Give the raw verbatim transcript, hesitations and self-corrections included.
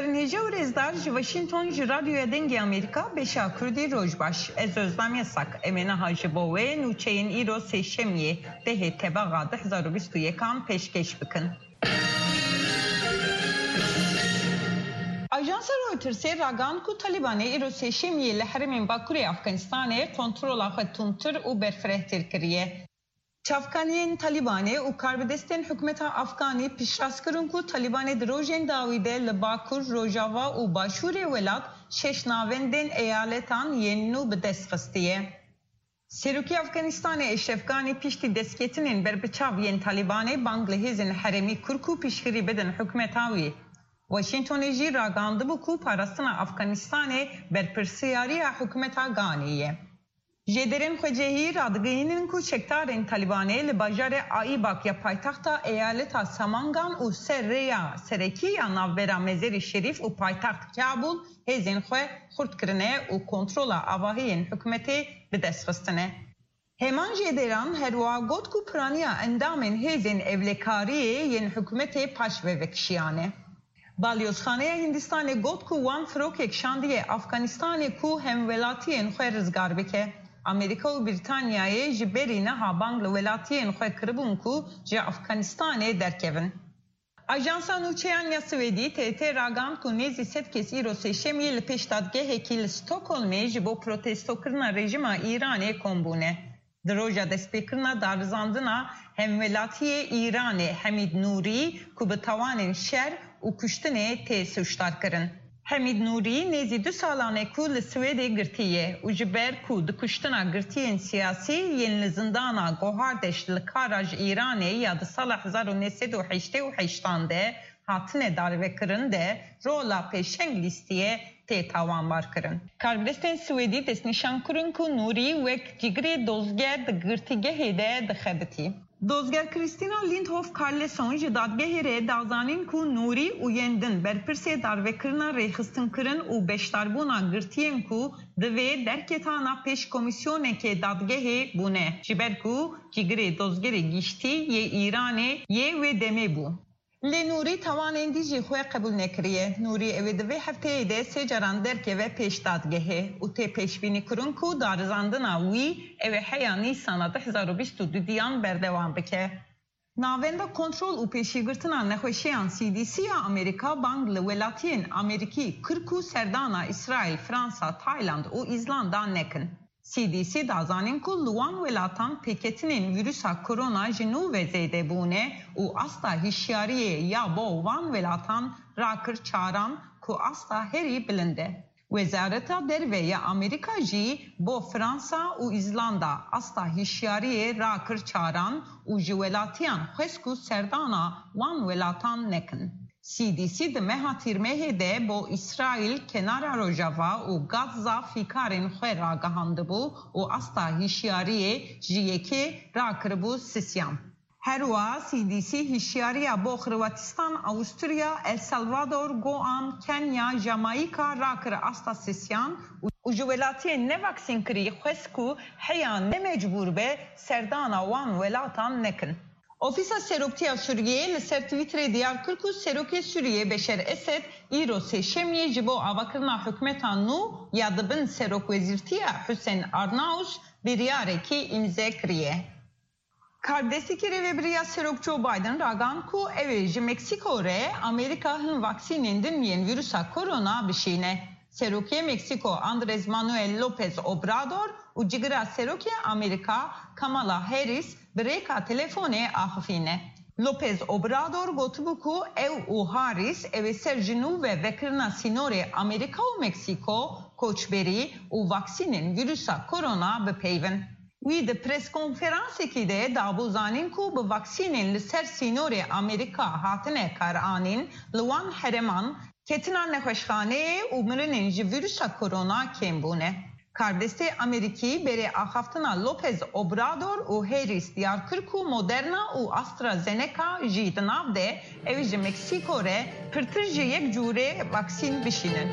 Nêce û rêzdar ji Washington ji Radyoya Dengê Amerîka beşa Kurdî roj baş. Ez Ozlem Yasak. Em ê niha ji bo we nûçeyên îro sêşemiyê dehê Tebaxa du hezar û bîst û yekan pêşkêş bikin. Ajansa Reutersê ragihand ku Talîbanê îro sêşemiyê li herêmên Bakurê Afganistanê kontrola xwe tundtir û berfirehtir kiriye. Çavkaniyên Talîbanê û karbidestên hikûmeta Afganî piştrast kirin ku Talîbanê di rojên dawî de li Bakur, Rojava û Başûrê welat şeş navendên eyaletan yên nû bi dest xistiye. Serokê Afganistanê Eşref Ganî piştî destketinên berbiçav yên Talîbanê bang li hêzên herêmî kir ku piştgirî bidin hikûmeta wî. Washingtonê jî ragihandibû ku parastina Afganistanê berpirsiyariya hikûmeta Ganî ye. Jêderên xwecihî radigihînin ku çekdarên Talîbanê li bajarê Aîbak ya paytexta eyaleta Samangan û ser rêya serekî ya navbera Mezerî Şerîf û paytext Kabûl hêzên xwe xurt kirine û kontrola avahiyên hikûmetê bi dest xistine. Heman jêderan herwiha got ku piraniya endamên hêzên ewlekariyê yên hikûmetê paş ve vekişiyane. Balyozxaneya Hindistanê got ku wan firokek şandiye Afganistanê ku hemwelatiyên xwe rizgar bike. Amerîka û Brîtanyayê ji berî niha bang li welatiyên xwe kiribûn ku ji Afganistanê derkevin. Ajansa Nûçeyan ya Swêdî, T T, ragihand ku nêzî sed kes îro sêşemiyê li pêş dadgehekî li Stockholmê ji bo protestokirina rejîma Îranê kom bûne. Di roja destpêkirina darizandina hemwelatiyê Îranê Hemîd Nûrî ku bi tawanên şer û kuştinê tê sûcdar kirin. Hemîd Nûrî nêzî du salan e ku li Swêdê girtî ye û ji ber ku di kuştina girtiyên siyasî yên li zindana Gohardeş li Karac Îranê ya di sala hezar û neh sed û heştê û heştan de hatine darivekirin de rola pêşeng lîstiye tê tawanbar kirin. Karbidestên Swêdî destnîşan kirin ku Nûrî wek cigirê dozger di girtîgehê de dixebitî. Dozger Kristina Lindhof Karlsson ji dadgehê re da zanîn ku Nûrî û yên din berpirsê darvekirina rêxistinkirin û beşdarbûna girtiyên ku divê derketana pêş komîsyonekê dadgehê bûne, ji ber ku cigirê dozgerê giştî yê Îranê yê wê demê bû. Lê Nûrî tawanên dî jî xwe qebûl nekiriye. Nûrî ew ê di vê hefteyê de sê caran derkeve pêş dadgehê û tê pêşbînîkirin ku darizandina wî ew ê heya Nîsana du hezar û bîst û duyan berdewam bike. Navenda Kontrol û Pêşîgirtina Nexweşiyan, C D C, ya Amerîka bang li welatiyên Amerîkî kir ku serdana Îsraîl, Fransa, Tayland û Îzlanda nekin. C D C da zanîn ku li wan welatan pêketinên vîrusa korona ji nû ve zêde bûne û asta hişyariyê ya bo van welatan rakir çaran ku asta herî bilind e. Wezareta Derve ya Amerîka jî bo Fransa û Îzlanda asta hişyariyê rakir çaran û ji welatiyan xwest ku serdana wan welatan nekin. C D C di meha Tîrmehê de bo Îsraîl, Kenara Rojava û Gazza fîkarên xwe ragihandibû û asta hişyariyê ji yekê rakiribû sisyan. Herwiha C D C hişyariya bo Xirwatistan, Awusturya, El Salvador, Guam, Kenya, Jamayîka rakir asta sisyan û, û ji welatiyên nevaksînkirî xwest ku heya ne mecbûr be serdana wan welatan nekin. Ofîsa Seroktiya Sûriyeyê li ser Twitterê diyar kir ku Serokê Sûriyê Beşer Esed îro sêşemiyê ji bo avakirina hikûmeta nû ya di bin serokwezîrtiya Hussein Arnaus biryarekî îmze kiriye. Karbidestekî rêvebirî ya Serok Joe Biden ragihand ku ew ê ji Meksîko re Amerîka hin vaksînên din yên vîrusa korona bişîne. Serokê Meksîko Andrés Manuel López Obrador û cigira Serokê Amerîka Kamala Harris bi rêka telefonê axifîne. López Obrador gotibû ku ew û Harris ew ê ser ji nû ve vekirina sînorê Amerîka û Meksîko, koçberî û vaksînên vîrusa korona bipeyivin. Wî di preskonferansekî de dabû zanîn ku bi vaksînên li ser sînorê Amerîka hatine karanîn, li wan herêman ketina nexweşxaneyê û mirinên ji vîrusa korona kêm bûne. Karbidestê Amerîkî berê axaftina López Obrador û Harris diyar kir ku Moderna û AstraZeneca jî di nav de ew ê ji Meksîko re pirtir ji yek cûrê vaksîn bişînin.